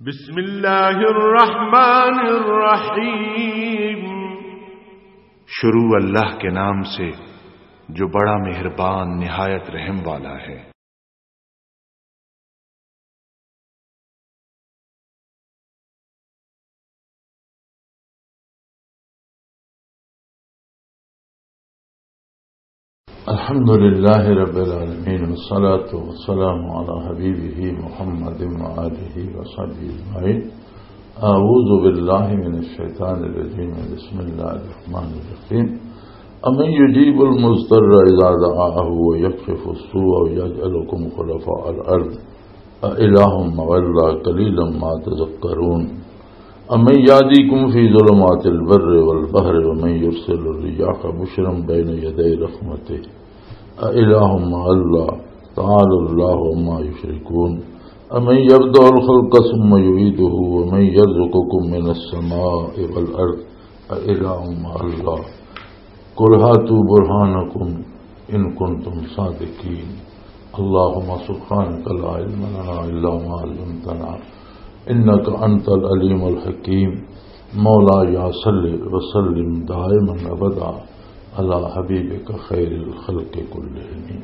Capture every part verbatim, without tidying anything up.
بسم اللہ الرحمن الرحیم۔ شروع اللہ کے نام سے، جو بڑا مہربان، نہایت رحم والا ہے۔ الحمد لله رب العالمين، والصلاة والسلام على حبيبه محمد وآله وصحبه أجمعين. أعوذ بالله من الشيطان الرجيم. بسم الله الرحمن الرحيم. أمن يجيب المضطر إذا دعاه ويكشف السوء ويجعلكم خلفاء الأرض أإله مع الله قليلا ما تذكرون. أمن يهديكم في ظلمات البر والبحر ومن يرسل الرياح بشرا بين يدي رحمته أإله مع الله تعالى الله عما يشركون. أمن يبدأ الخلق ثم يعيده ومن يرزقكم من السماء والأرض أإله مع الله قل هاتوا برهانكم إن كنتم صادقين. اللهم سبحانك لا علم لنا إلا ما علمتنا إنك أنت العليم الحكيم. مولاي صل وسلم دائما أبدا على حبيبك خير الخلق كلهم.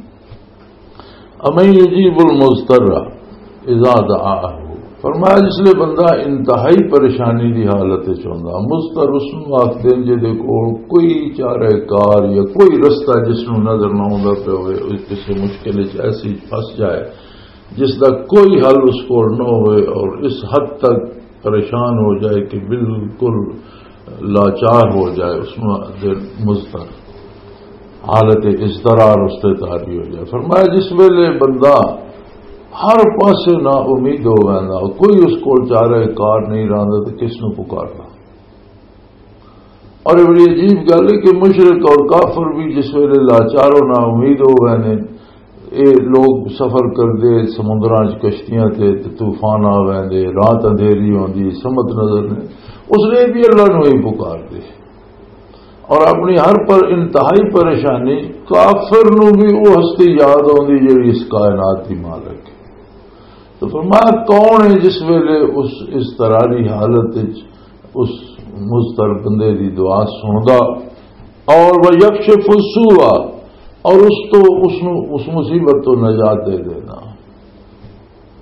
امن یجیب المضطر اذا دعاہ۔ فرمایا، جس لئے بندہ انتہائی پریشانی دی حالت وچ ہوندا، مضطر اس نوں آکھدے نے جدے کول کوئی چارہ کار یا کوئی رستہ جس نوں نظر نہ آوندا پیا ہوئے، او کسے مشکل وچ ایسی پھنس جائے جس دا کوئی حل اس کول نہ ہوئے اور اس حد تک پریشان ہو جائے کہ بالکل لاچار ہو جائے، اس نوں آکھدے مضطر، حالت اضطرار اس تے طاری ہو جائے۔ فرمایا، جس ویلے بندہ ہر پاسے نا امید ہو ویندا، کوئی اس کول چارہ کار نہیں رہندا، تے کس نوں پکارنا؟ اور یہ بڑی عجیب گل ہے کہ مشرک اور کافر بھی جس ویلے لاچار و نا امید ہو ویندے، اے لوگ سفر کردے سمندراں چ کشتیاں تے، تے طوفان آ ویندے، رات اندھیری ہوندی، سمت نظر نہیں، اس نے بھی اللہ نوں ہی پکار دے۔ اور اپنی ہر پر انتہائی پریشانی، کافر نوں بھی وہ ہستی یاد آندی جڑی اس کائنات دی مالک ہے۔ تو فرمایا، کون ہے جس ویلے اس اضطراری حالت وچ اس مضطر بندے دی دعا سندا اور وہ یکشف السوء، اور اس تو اس نو، اس مصیبت تو نجات دے دینا۔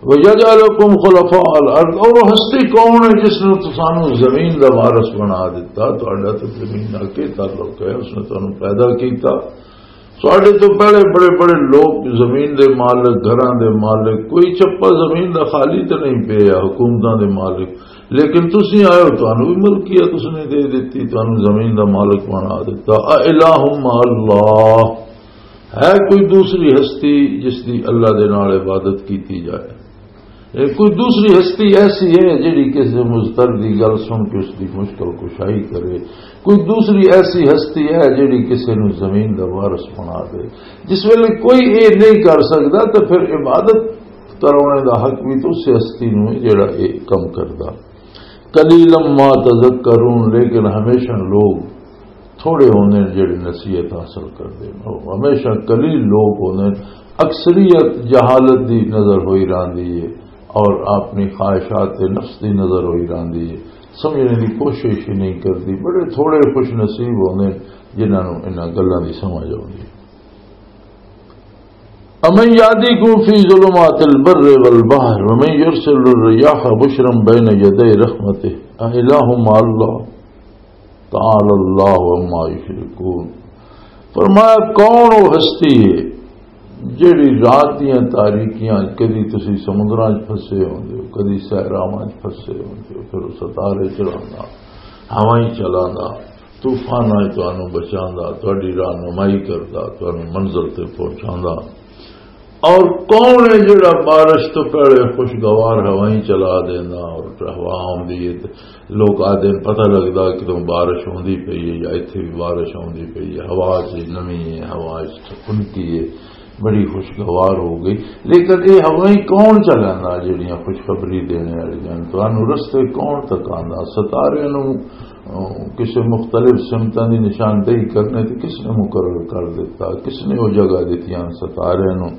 وَيَجْعَلَكُمْ خُلَفَاءَ الْأَرْضِ، اور وہ ہستی کون ہے جس نے تسانو زمین دا وارث بنا دیتا؟ تہاڈا تے زمین نال کی تعلق ہے؟ اس نے تانوں پیدا کیتا۔ ساڈے تو پہلے بڑے بڑے لوگ زمین دے مالک، گھراں دے مالک، کوئی چپا زمین دا خالی تے نہیں پیا، حکومتاں دے مالک، لیکن تسی آئے ہو، تانوں بھی ملکیت اس نے دے دتی، تانوں زمین دا مالک بنا دیتا۔ اَإِلَٰهٌ مَّعَ اللَّهِ، ہے کوئی دوسری ہستی جس دی اللہ دے نال عبادت کیتی جائے؟ اے کوئی دوسری ہستی ایسی ہے جڑی کسی مضطر دی گل سن کے اس دی مشکل کشائی کرے؟ کوئی دوسری ایسی ہستی ہے جڑی کسی نو زمین دا وارث بنا دے؟ جس ویلے کوئی اے نہیں کر سکدا، تے پھر عبادت کراونے دا حق بھی تو اس ہستی نو ہے جڑا اے کم کردا۔ قلیلا ما تذکرون، لیکن ہمیشہ لوگ تھوڑے ہوندے نے جڑے نصیحت حاصل کردے نے۔ او ہمیشہ قلیل لوگ ہوندے نے، اکثریت جہالت دی نظر ہوئی راندی ہے اور اپنی خواہشات نفس دی نظر ہوئی راندی ہے، سمجھنے دی کوشش ہی نہیں کردی۔ بڑے تھوڑے خوش نصیب ہوندے نے جنہاں نوں انہاں گلاں دی سمجھ آوندی ہے۔ امن یہدیکم فی ظلمات البر والبحر ومن یرسل الرياح بشرا بین یدی رحمته أإله مع الله تعالی اللہ عما یشرکون۔ فرمایا، کون وہ ہستی ہے جڑی رات دیاں تاریکیاں، کدی تسی سمندراں وچ پھسے ہوندے ہو، کدی صحراواں وچ پھسے ہوندے ہو، پھر وہ ستارے چلاندا، ہوائیں چلاندا، طوفاناں وچ تانوں بچاندا، تہاڈی رہنمائی کردا، تانوں منزل تے پہنچاندا۔ اور کون ہے جڑا بارش تو پہلے خوشگوار ہوائیں چلا دینا اور ہوا آوندی ہے تے لوگ آدھے پتہ لگدا کہ تم بارش ہوندی پئی ہے یا ایتھے بھی بارش ہوندی پئی ہے، ہوا چ نمی ہے، ہوا چ خنکی ہے، بڑی خوشگوار ہو گئی۔ لیکن یہ ہوائیں کون چلانا جڑیاں خوشخبری دینے والی ہیں؟ تانوں رستے کون تکاندا؟ ستارے نوں، اہ، کسے مختلف سمتاں دی نشاندہی کرنے تے کس نے مقرر کر دیتا؟ کس نے وہ جگہ دتیاں ستارے نوں؟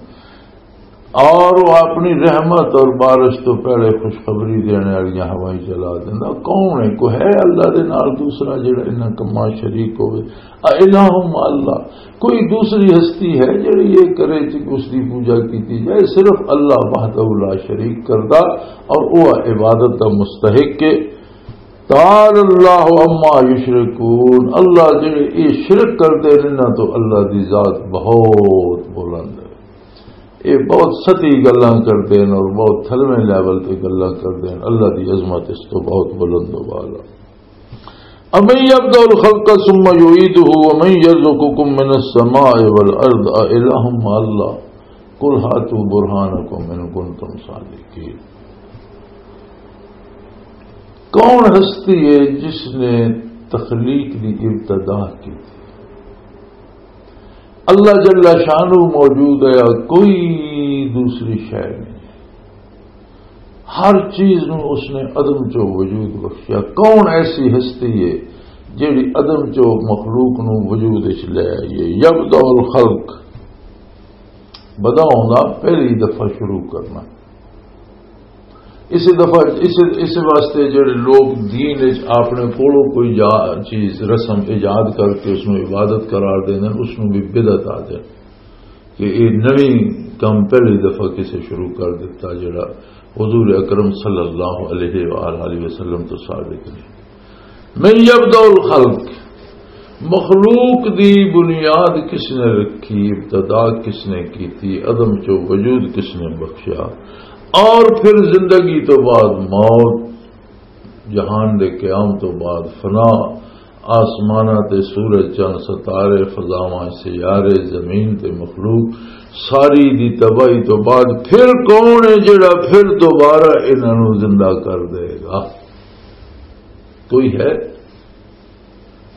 اور وہ اپنی رحمت اور بارش تو پہلے خوشخبری دینے والیاں ہوائیں چلا دینا۔ کون ہے؟ کوئی ہے اللہ دے نال دوسرا جڑا انہاں کماں شریک ہوئے؟ اَإِلَٰهٌ مَّعَ اللَّهِ، کوئی دوسری ہستی ہے جڑی یہ کرے کہ اس دی پوجا کیتی جائے؟ صرف اللہ وحدہ لا شریک کردا اور وہ عبادت دا مستحق ہے۔ تعالی اللہ عما یشرکون، اللہ جڑے یہ شرک کردے نے، انہاں تو اللہ دی ذات بہت بلند ہے۔ یہ بہت سطحی گلاں کردے نے اور بہت تھلویں لیول تے گلاں کردے نے۔ اللہ دی عظمت اس تو بہت بلند و بالا۔ امن یبدأ الخلق ثم یعیدہ ومن یرزقکم من السماء والارض االہ مع اللہ۔ قل هاتوا برهانكم إن كنتم صادقين۔ کون ہستی ہے جس نے تخلیق دی ابتدا کی؟ اللہ جل شانہ موجود ہے، کوئی دوسری شے نہیں۔ ہر چیز نو اس نے عدم چو وجود بخشیا۔ کون ایسی ہستی ہے جیڑی عدم چو مخلوق نو وجود وچ لے آئی ہے؟ یبدأ الخلق، بدا ہوندا، پہلی دفعہ شروع کرنا۔ اس دفعہ اس، اس واسطے جڑے لوگ دین وچ اپنے کولوں کوئی جا-، چیز، رسم ایجاد کر کے اس نوں عبادت قرار دیندے نے، اس نوں بھی بدعت آ جائے کہ یہ نویں کم پہلی دفعہ کسے شروع کر دیتا، جڑا حضور اکرم صلی اللہ علیہ وآلہ وسلم تو ثابت نہیں۔ من یبدأ الخلق، مخلوق دی بنیاد کس نے رکھی، ابتدا کس نے کیتی، عدم چو وجود کس نے بخشیا، اور پھر زندگی تو بعد موت، جہان دے قیام تو بعد فنا، آسماناں تے سورج، چند، ستارے، فضاواں، سیارے، زمین تے مخلوق ساری دی تباہی تو بعد پھر کون ہے جڑا پھر دوبارہ انہاں نوں زندہ کر دے گا؟ کوئی ہے؟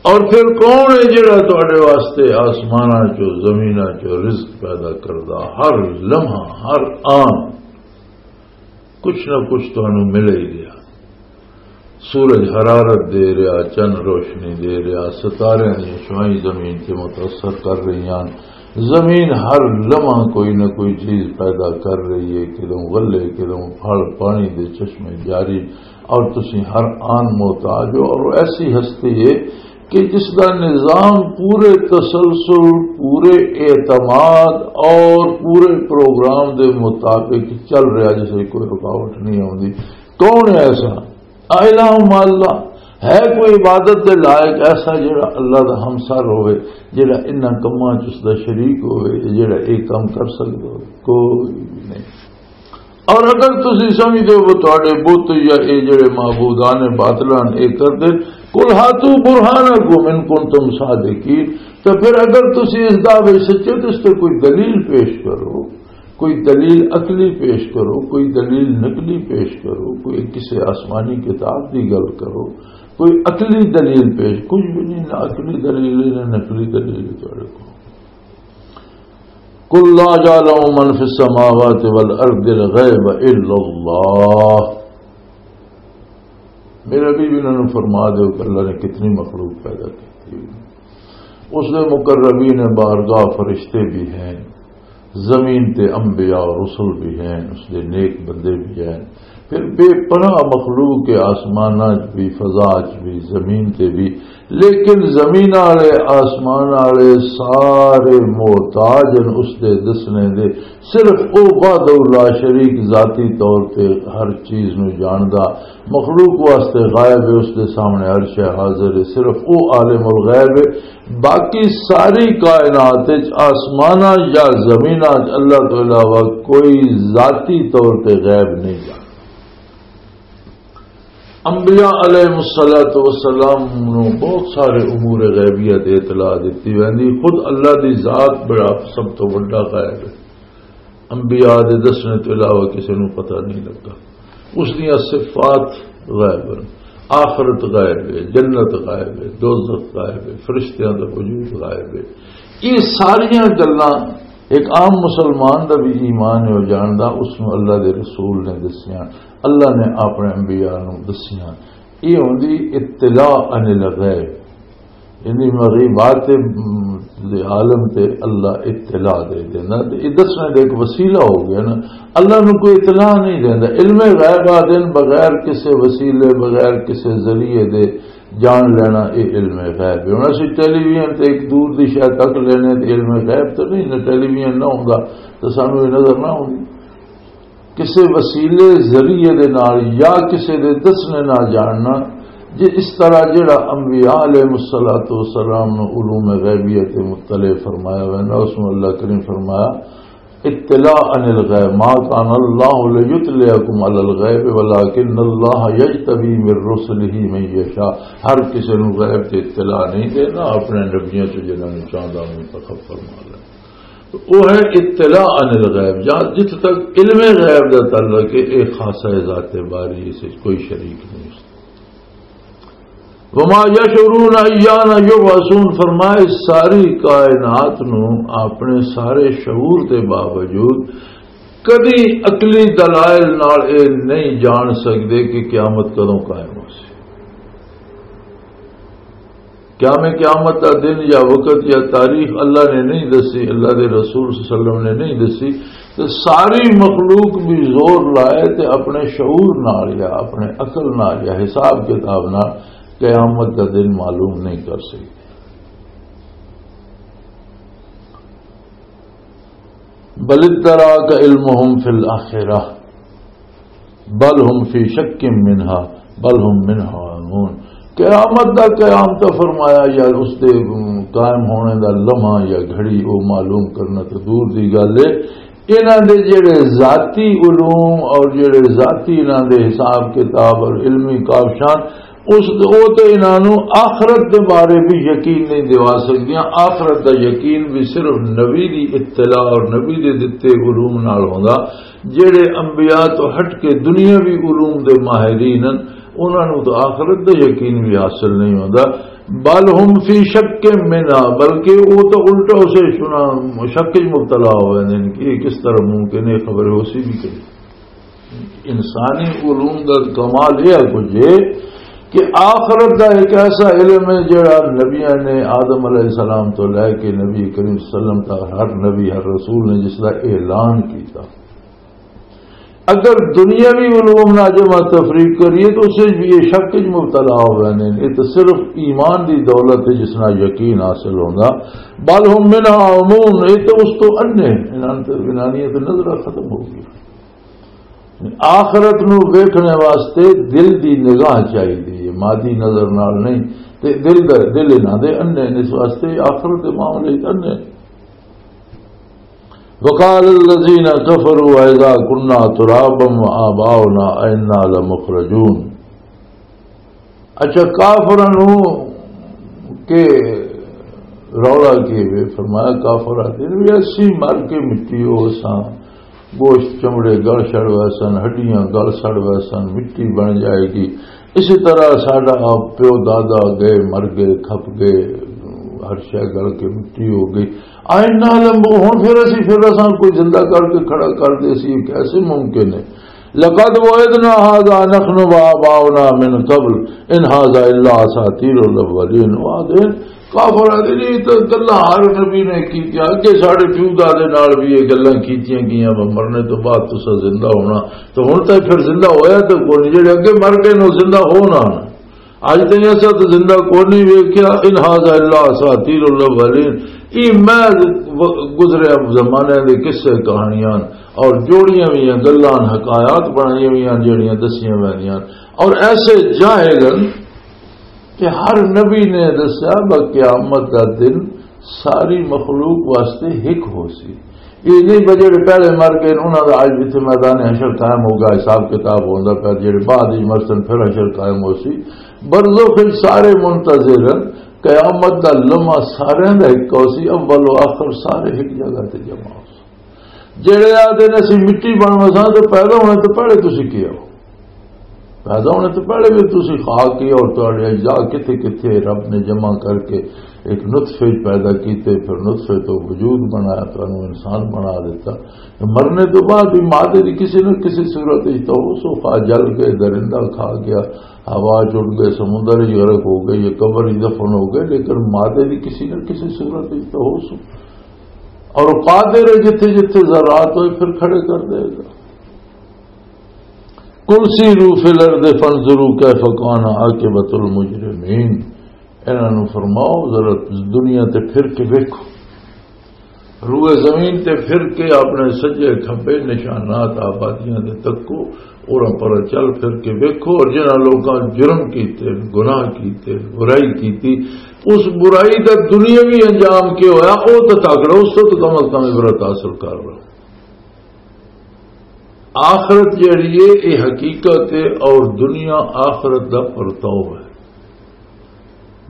اور پھر کون ہے جڑا تہاڈے واسطے آسماناں چوں، زمیناں چوں رزق پیدا کردا؟ ہر لمحہ، ہر آن کچھ نہ کچھ تانوں مل ہی رہیا۔ سورج حرارت دے رہیا، چن روشنی دے رہیا، ستاریاں دیاں شعاعیں زمین تے متاثر کر رہیاں۔ زمین ہر لمحہ کوئی نہ کوئی چیز پیدا کر رہی ہے، کدوں غلے، کدوں پھل، پانی دے چشمے جاری، اور تسی ہر آن محتاج ہو۔ اور وہ ایسی ہستی ہے کہ جس دا نظام پورے تسلسل، پورے اعتماد اور پورے پروگرام دے مطابق چل رہا، جس وچ کوئی رکاوٹ نہیں آوندی۔ کون ہے ایسا؟ الہ مع اللہ، ہے کوئی عبادت دے لائق ایسا جڑا اللہ دا ہمسر ہوئے، جڑا انہاں کماں چ اس دا شریک ہوئے، جڑا ایک کم کر سکدا ہوئے؟ کوئی بھی نہیں۔ اور اگر تسی سمجھدے ہو تہاڈے بت یا اے جڑے معبودان باطلان اے کردے، قل هاتوا برهانكم إن كنتم صادقين، تو پھر اگر تسی اس دعوے سچے تو اس تے کوئی دلیل پیش کرو، کوئی دلیل عقلی پیش کرو، کوئی دلیل نقلی پیش کرو، کوئی کسی آسمانی کتاب دی گل کرو، کوئی عقلی دلیل پیش، کچھ بھی نہیں، نہ عقلی دلیل ہے، نہ نقلی دلیل ہے تہاڈے کول۔ قل لا يعلم من في السماوات والأرض الغيب إلا الله۔ میرے حبیب، انہاں نوں فرما دیو کہ اللہ نے کتنی مخلوق پیدا کی۔ اس دے مقربین بارگاہ فرشتے بھی ہیں، زمین تے انبیاء اور رسل بھی ہیں، اس دے نیک بندے بھی ہیں۔ پھر بے پناہ مخلوق کے آسماناں چ بھی، فضا چ بھی، زمین تے بھی، لیکن زمین والے، آسمان والے سارے محتاج ہیں اس دے دسنے دے۔ صرف او وحدہ لا شریک ذاتی طور تے ہر چیز نو جاندا، مخلوق واسطے غائب ہے، اس دے سامنے ہر شے حاضر ہے، صرف او عالم الغیب ہے۔ باقی ساری کائنات وچ، آسماناں یا زمیناں وچ، اللہ تو علاوہ کوئی ذاتی طور تے غیب نہیں جاندا۔ انبیاء علیہ الصلوۃ والسلام نو بہت سارے امور غیبیہ تے اطلاع دتی ویندی۔ خود اللہ دی ذات بڑا سب تو وڈا غیب ہے۔ انبیاء دے دسنے تو علاوہ کسی نو پتہ نہیں لگا۔ اس دیاں صفات غیب ہیں، آخرت غیب ہے، جنت غیب ہے، دوزخ غیب ہے، فرشتیاں دا وجود غیب ہے۔ یہ ساریاں گلاں ایک عام مسلمان دا بھی ایمان ہے، وہ جاندا، اس نو اللہ دے رسول نے دسیاں، اللہ نے اپنے انبیاء نو دسیاں۔ یہ ہوندی اطلاع عن الغیب، یعنی مغیبات، م، دے عالم تے اللہ اطلاع دے دینا۔ تے یہ دسنے دا ایک وسیلہ ہو گیا نا۔ اللہ نو کوئی اطلاع نہیں دینا۔ علم غیب آ دین بغیر کسے وسیلے، بغیر کسے ذریعے دے جان لینا، یہ علم غیب ہے۔ ہن اسی ٹیلی ویژن تے ایک دور دی شے تک لینے تے علم غیب تو نہیں، نہ ٹیلی ویژن نہ ہوندا تو سانو یہ نظر نہ آوندی۔ کسے وسیلے ذریعے دے نال یا کسے دے دسنے نال جاننا، جے اس طرح جڑا انبیاء علیہ الصلوۃ والسلام نو علوم غیبیہ تے مطلع فرمایا ہوا ہے، اس نو اللہ کریم فرمایا، اطلاع عن الغیب، ما کان اللہ لیطلعکم علی الغیب ولکن اللہ یجتبی من رسلہ من یشاء۔ ہر کسے نو غیب تے اطلاع نہیں دینا، اپنے نبیوں چ جنہاں نو چاہندا منتخب فرما لینا۔ تو وہ ہے اطلاع عن الغیب، جہاں جت تک علم غیب دا تعلق ہے، یہ خاصہ ذات باری، اس وچ کوئی شریک نہیں۔ وما یشعرون ایان یبعثون، فرمائے ساری کائنات نو اپنے سارے شعور دے باوجود کدی عقلی دلائل نال اے نہیں جان سکدے کہ قیامت کدوں قائم ہو سی۔ قیام قیامت دا دن یا وقت یا تاریخ اللہ نے نہیں دسی، اللہ دے رسول صلی اللہ علیہ وسلم نے نہیں دسی، تے ساری مخلوق بھی زور لائے تے اپنے شعور نال یا اپنے عقل نال یا حساب کتاب نال قیامت دا دن معلوم نہیں کر سکی۔ بل ادراک علمهم فی الاخرہ بل هم فی شک منها بل هم منها عمون۔ قیامت دا قیام تو فرمایا یا اس دے قائم ہونے دا لمحہ یا گھڑی، وہ معلوم کرنا تو دور دی گل ہے۔ انہاں دے جڑے ذاتی علوم اور جڑے ذاتی انہاں دے حساب کتاب اور علمی کاوشاں، اس او تے انہاں نوں آخرت دے بارے بھی یقین نہیں دیوا سکدیاں۔ آخرت دا یقین بھی صرف نبی دی اطلاع اور نبی دے دتے علوم نال ہوندا۔ جڑے انبیاء تو ہٹ کے دنیاوی علوم دے ماہرین ہن، انہاں نوں تو آخرت دا یقین بھی حاصل نہیں ہوندا۔ بل هم فی شک منها، بلکہ وہ تو الٹا اسے شنا-، شک وچ مبتلا ہو ویندے نے کہ یہ کس طرح ممکن ہے، خبر ہو سی بھی کہ نہیں۔ انسانی علوم دا کمال یہ ہے کچھ یہ کہ آخرت دا ایک ایسا علم ہے جڑا نبیاں نے آدم علیہ السلام تو لے کے نبی کریم صلی اللہ علیہ وسلم تک ہر نبی، ہر رسول نے جس دا اعلان کیتا۔ اگر دنیاوی علوم نال جمع تفریق کریے تو اس وچ بھی یہ شک وچ مبتلا ہو ویندے نے۔ یہ تو صرف ایمان دی دولت ہے جس نال یقین حاصل ہوندا۔ بل هم منها عمون، یہ تو اس تو انے، انہاں تے، انہاں دی تے نظر ختم ہو گئی۔ آخرت نو ویکھنے واسطے دل دی نگاہ چاہیے، مادی نظر نال نہیں۔ تے دل دا، دل انہاں دے انے نے، اس واسطے آخرت دے معاملے وچ انے۔ وقال الذين كفروا أئذا كنا ترابا وآباؤنا أئنا لمخرجون۔ اچھا، کافراں نوں کہ رولا کی وے، فرمایا کافر آتے ہیں بھی اسی مر کے مٹی ہو ساں، گوشت چمڑے گل سڑ ویسن، ہڈیاں گل سڑ ویسن، مٹی بن جائے گی۔ اسی طرح ساڈا پیو دادا گئے، مر گئے، کھپ گئے، ہر شے گل کے مٹی ہو گئی۔ آئنا لمبو، ہن پھر اسی پھر اساں کوئی زندہ کر کے کھڑا کر دے سی، یہ کیسے ممکن ہے؟ لقد وعدنا هذا نحن وآباؤنا من قبل إن هذا إلا أساطير الأولين۔ وہ آدھے، کافر آدھے، نہیں تو گلاں ہر نبی نے کیتیاں، اگے ساڈے پیو دادے نال بھی یہ گلاں کیتیاں گئیاں، مرنے تو بعد تسا زندہ ہونا۔ تو ہن تک پھر زندہ ہویا تو کوئی نہیں، جڑے اگے مر گئے نے، وہ زندہ ہو نہ۔ اج تائیں اساں تے زندہ کوئی نہیں ویکھیا۔ ان ھذا الا اساطیر الاولین، یہ میں گزرے زمانے دے قصے کہانیاں اور جوڑیاں ہوئیاں گلاں، حکایات بنائیاں ہوئیاں، جڑیاں دسیاں ویندیاں۔ اور ایسے جاہل ہن کہ ہر نبی نے دسیا، با قیامت دا دن ساری مخلوق واسطے ہک ہو سی۔ یہ نہیں بجے پہلے مر گئے، انہاں دا اج جتھے میدان حشر قائم ہوگا، حساب کتاب ہوندا پیا، جڑے بعد وچ مرسن پھر حشر قائم ہو سی۔ برزخ وچ سارے منتظر ہن، قیامت دا لمحہ سارے دا ہک ہو سی، اول و آخر سارے ہک جگہ تے جمع ہو سی۔ جڑے آدھے نے اسی مٹی بن وساں، تے پیدا ہونے تو پہلے تسی کی ہو؟ پیدا ہونے تو پہلے بھی تسی خاک ہی، اور تہاڈے اجزاء کتھے کتھے رب نے جمع کر کے ایک نطفے پیدا کیتے، پھر نطفے تو وجود بنایا، تانوں انسان بنا دیتا۔ مرنے تو بعد بھی مادے دی کسی نہ کسی صورت وچ تو ہو سو، خواہ جل کے، درندہ کھا گیا، ہوا چڑ گئے، سمندر وچ غرق ہو گئے، یہ قبر وچ دفن ہو گئے، لیکن مادے دی کسی نہ کسی صورت وچ تو ہو سو۔ اور قادر ہے جتھے جتھے ذرات ہوئے پھر کھڑے کر دے گا۔ قل سیروا فی الارض فانظروا کیف کان عاقبۃ المجرمین۔ انہاں نوں فرماؤ، ذرا دنیا تے پھر کے ویکھو، روئے زمین تے پھر کے اپنے سجے کھبے نشانات آبادیاں دے تکو، اور پر چل پھر کے ویکھو، اور جنہاں لوکاں جرم کیتے، گناہ کیتے، برائی کیتی، اس برائی دا دنیاوی انجام کی ہویا، او تے تاکڑو، اس تو کم از کم عبرت حاصل کر لو۔ آخرت جیڑی ہے، یہ حقیقت ہے، اور دنیا آخرت دا پرتاؤ ہے۔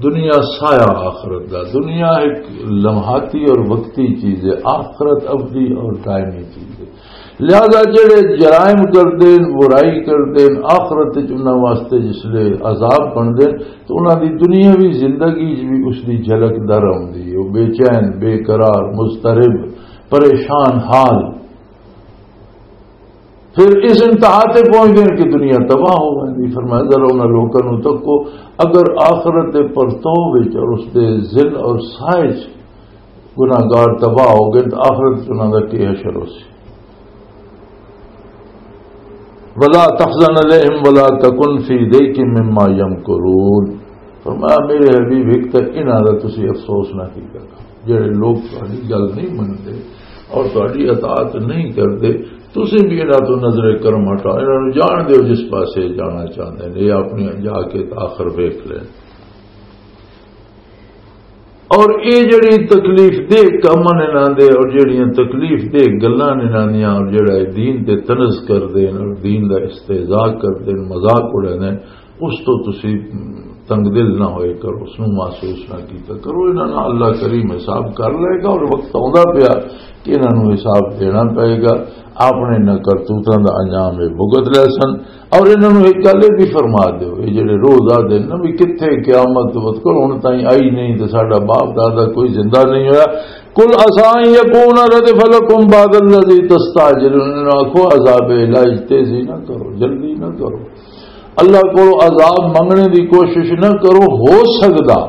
دنیا سایہ آخرت دا، دنیا ایک لمحاتی اور وقتی چیز ہے، آخرت ابدی اور دائمی چیز ہے۔ لہذا جڑے جرائم کردے ہیں، برائی کردے ہیں، آخرت وچ انہاں واسطے جس لے عذاب بندے ہیں، تو انہاں دی دنیاوی زندگی وچ بھی اس دی جھلک در آؤندی ہے۔ وہ بے چین، بے قرار، مضطرب، پریشان حال۔ پھر اس انتہا تے پہنچ گئے کہ دنیا تباہ ہو گئی۔ فرمایا، ذرا انہاں لوکاں نوں تکو، اگر آخرت دے پرتو وچ اور اس دے ذل اور سائے وچ گناہگار تباہ ہو گئے، تو آخرت وچ انہاں دا کی حشر ہو سی؟ ولا تحزن علیہم ولا تکن فی ضیق مما یمکرون۔ فرمایا، میرے حبیب، ایک تے انہاں دا تسی افسوس نہ کیتا کرو، جڑے لوگ تہاڈی گل نہیں منتے اور تہاڈی اطاعت نہیں کرتے، تسی بھی انہاں تو نظر کرم ہٹاؤ، انہاں نوں جان دیو جس پاسے جانا چاہندے نے، یہ اپنی جا کے آخر ویکھ لین۔ اور یہ جڑی تکلیف دہ کم نے انہاں دے، اور جڑیاں تکلیف دہ گلاں نے انہاں دیاں، اور جڑا یہ دین تے طنز کر دین اور دین دا استہزاء کر دین، مذاق اڑے نے، اس تو تسی تنگ دل نہ ہوئے کرو، اس نوں محسوس نہ کیتا کرو۔ انہاں نال اللہ کریم حساب کر لے گا، اور وقت آوندا پیا کہ انہاں نوں حساب دینا پئے گا۔ اپنے انہاں کرتوتاں دا انجام یہ بھگت لے سن۔ اور انہاں نوں ایک گل یہ بھی فرما دیو، یہ جڑے روز آ دن نا بھی کتھے قیامت وقت کول ہن تائیں آئی نہیں تے ساڈا باپ دادا کوئی زندہ نہیں ہویا۔ قل عسى ان يكون ردف لكم بعض الذي تستعجلون، انہاں نوں آکھو عذاب الہی تیزی نہ کرو، جلدی نہ کرو۔ اللہ کولوں عذاب منگنے دی کوشش نہ کرو، ہو سکدا،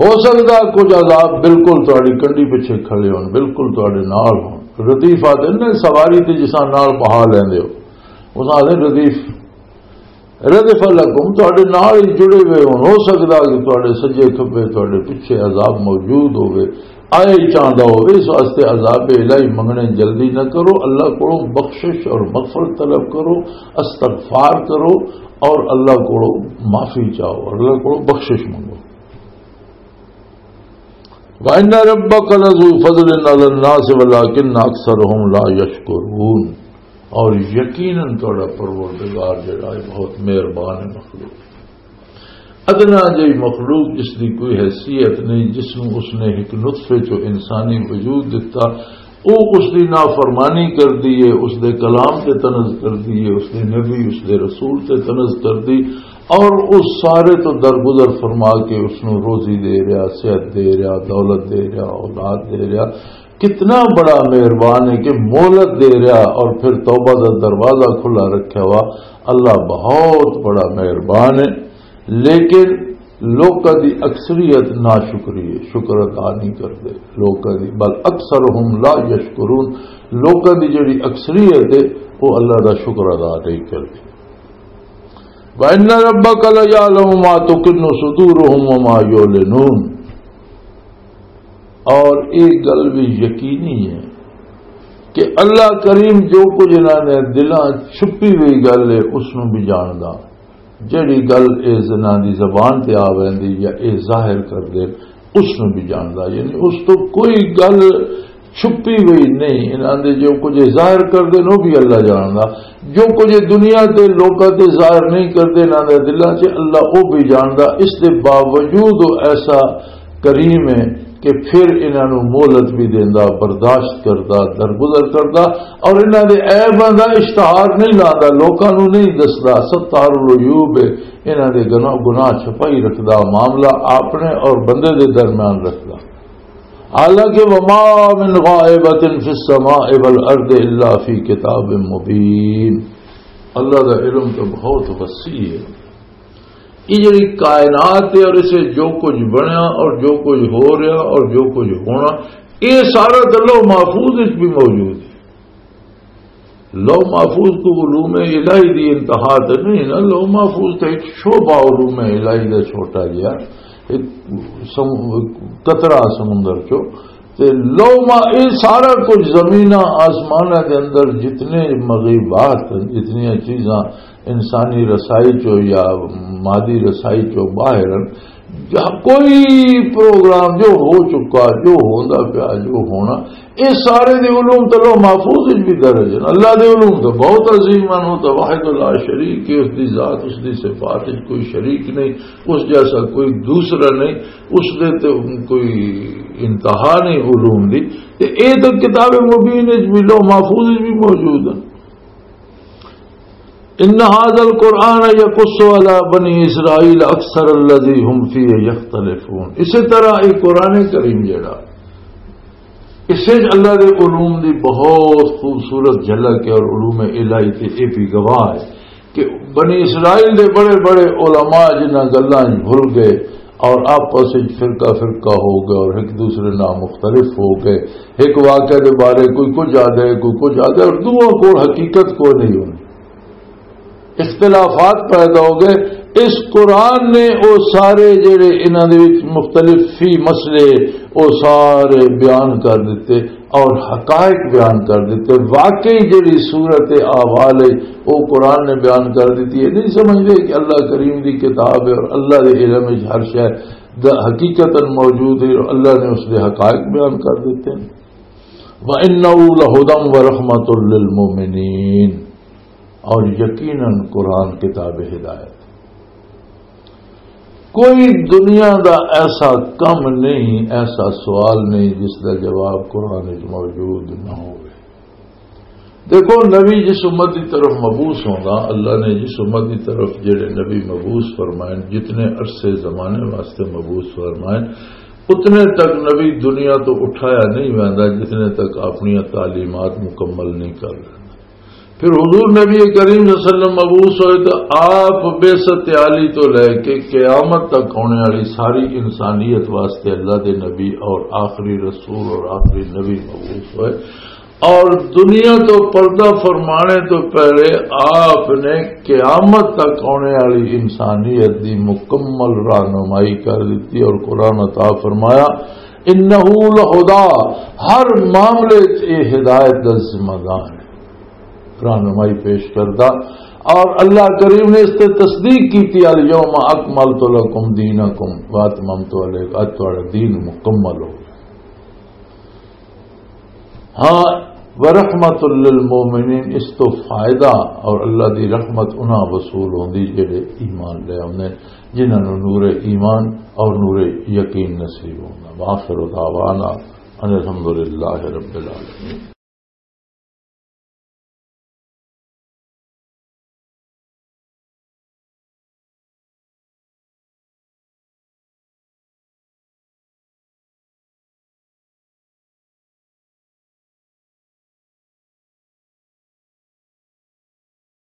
ہو سکدا کچھ عذاب بالکل تہاڈی کنڈی پچھے کھڑے ہون، بالکل تہاڈے نال ہون۔ ردیف آتے نے سواری تے جساں نال بہا لیندے ہو، اس آتے ردیف، ردف لکم، تہاڈے نال ہی جڑے ہوئے ہون۔ ہو سکدا کہ تہاڈے سجے کھبے، تہاڈے پچھے عذاب موجود ہوئے، آئے چاہندا ہوئے، اس واسطے عذاب الہی منگنے جلدی نہ کرو۔ اللہ کولوں بخشش اور مغفرت طلب کرو، استغفار کرو اور اللہ کولوں معافی چاہو، اللہ کولوں بخشش منگو۔ وَإِنَّ رَبَّكَ لَذُو فَضْلٍ عَلَى النَّاسِ وَلَٰكِنَّ أَكْثَرَهُمْ لَا يَشْكُرُونَ۔ اور یقیناً تہاڈا پروردگار جڑا ہے بہت مہربان ہے مخلوق۔ ادنا جئی مخلوق جس دی کوئی حیثیت نہیں، جس نوں اس نے ایک نطفے چوں انسانی وجود دتا، او اس دی نافرمانی کر دیے، اس دے کلام تے طنز کر دیے، اس دے نبی، اس دے رسول تے طنز کر دی، اور اس سارے تو درگزر فرما کے اس نوں روزی دے رہا، صحت دے رہا، دولت دے رہا، اولاد دے رہا، کتنا بڑا مہربان ہے کہ مہلت دے رہا اور پھر توبہ دا دروازہ کھلا رکھا ہوا۔ اللہ بہت بڑا مہربان ہے، لیکن لوکاں دی اکثریت ناشکری ہے، شکر ادا نہیں کرتے لوکاں دی۔ بل اکثرہم لا یشکرون، لوکاں دی جڑی اکثریت ہے، وہ اللہ دا شکر ادا نہیں کرتی۔ وَإِنَّ رَبَّكَ لَيَعْلَمُ مَا تُكِنُّ صُدُورُهُمْ وَمَا يُعْلِنُونَ۔ اور ایک گل بھی یقینی ہے کہ اللہ کریم جو کچھ انہاں نے دلاں چھپی ہوئی گل ہے، اس نوں بھی جاندا۔ جڑی گل اے زنا دی زبان تے آ ویندی یا اے ظاہر کر دے، اس نوں بھی جاندا۔ یعنی اس تو کوئی گل چھپی ہوئی نہیں۔ انہاں دے جو کچھ ظاہر کر دے، وہ بھی اللہ جاندا۔ جو کچھ دنیا تے لوکاں تے ظاہر نہیں کردے، انہاں دے دلاں چ، اللہ وہ بھی جاندا۔ اس دے باوجود وہ ایسا کریم ہے کہ پھر انہاں نوں مہلت بھی دیندا، برداشت کردا، درگزر کردا، اور انہاں دے عیباں دا اشتہار نہیں لاندا، لوکاں نوں نہیں دسدا۔ ستار العیوب، انہاں دے گناہ، گناہ چھپائی رکھدا، معاملہ اپنے اور بندے دے درمیان رکھدا۔ حالانکہ وما من غائبۃ فی السماء والارض الا فی کتاب مبین۔ اللہ دا علم تو بہت وسیع ہے۔ یہ جڑی کائنات ہے اور اسے جو کچھ بنیا اور جو کچھ ہو رہا اور جو کچھ ہونا، یہ سارا تو لوح محفوظ وچ بھی موجود ہے۔ لوح محفوظ کو علوم الہی دی انتہا تو نہیں نا، لوح محفوظ تو ایک شعبہ علوم الہی دا چھوٹا جہا، ایک سم-، قطرہ سمندر چو۔ تے لوح ما-، یہ سارا کچھ زمیناں آسماناں دے اندر جتنے مغیبات ہیں، جتنیاں چیزاں انسانی رسائی چو یا مادی رسائی چو باہر ہیں، جہاں کوئی پروگرام جو ہو چکا، جو ہوندا پیا، جو ہونا، یہ سارے دے علوم تو لوح محفوظ وچ بھی درج ہیں۔ اللہ دے علوم تو بہت عظیم ہیں، وہ تو واحد لا شریک ہے، اس دی ذات، اس دی صفات وچ کوئی شریک نہیں، اس جیسا کوئی دوسرا نہیں، اس دے تے کوئی انتہا نہیں علوم دی۔ تے اے تو کتاب مبین وچ بھی، لوح محفوظ وچ بھی موجود ہے۔ ان هذا القرآن يقص على بني اسرائيل اكثر الذي هم فيه يختلفون۔ اسی طرح یہ قرآن کریم جڑا، اس وچ اللہ دے علوم دی بہت خوبصورت جھلک ہے، اور علوم الہی تے یہ بھی گواہ ہے کہ بنی اسرائیل دے بڑے بڑے علماء جنہاں گلاں وچ بھل گئے اور آپس وچ فرقہ فرقہ ہو گئے اور ایک دوسرے نال مختلف ہو گئے، ایک واقعے دے بارے کوئی کچھ آ جائے، کوئی کچھ آ جائے، اور دوواں کول حقیقت کوئی نہیں ہونی۔ اختلافات پیدا ہو گئے۔ اس قرآن نے وہ سارے جڑے انہاں دے وچ مختلف فی مسئلے، وہ سارے بیان کر دیتے اور حقائق بیان کر دیتے۔ واقعی جڑی صورت احوال ہے، وہ قرآن نے بیان کر دیتی ہے۔ نہیں سمجھتے کہ اللہ کریم دی کتاب ہے اور اللہ دے علم وچ ہر شے دا حقیقتاً موجود ہے اور اللہ نے اس دے حقائق بیان کر دیتے ہیں۔ وَإِنَّهُ لَهُدًى وَرَحْمَةٌ لِّلْمُؤْمِنِينَ۔ اور یقیناً قرآن کتاب ہدایت۔ کوئی دنیا دا ایسا کم نہیں، ایسا سوال نہیں جس دا جواب قرآن وچ موجود نہ ہوئے۔ دیکھو، نبی جس امت دی طرف مبعوث ہوندا، اللہ نے جس امت دی طرف جڑے نبی مبعوث فرمائے، جتنے عرصے زمانے واسطے مبعوث فرمائے، اتنے تک نبی دنیا تو اٹھایا نہیں ویندا جتنے تک اپنی تعلیمات مکمل نہیں کر لینا۔ پھر حضور نبی کریم صلی اللہ علیہ وسلم مبعوث ہوئے تو آپ بعثت عالی تو لے کے قیامت تک ہونے والی ساری انسانیت واسطے اللہ دے نبی اور آخری رسول اور آخری نبی مبعوث ہوئے، اور دنیا تو پردہ فرمانے تو پہلے آپ نے قیامت تک ہونے والی انسانیت دی مکمل رہنمائی کر دیتی اور قرآن عطا فرمایا، انہ لہدا، ہر معاملے چ یہ ہدایت دا ذمہ دار ہے، رہنمائی پیش کردہ۔ اور اللہ کریم نے اس تے تصدیق کی تھی، الیوم اکملت لکم دینکم واتممت علیکم، اج تہاڈا دین مکمل ہو گیا۔ ہاں، ورحمۃ للمؤمنین، اس تو فائدہ اور اللہ دی رحمت انہاں وصول ہوندی جڑے ایمان لے آوندے، جنہاں نوں نور ایمان اور نور یقین نصیب ہوندا۔ وآخر دعوانا ان الحمدللہ رب العالمین۔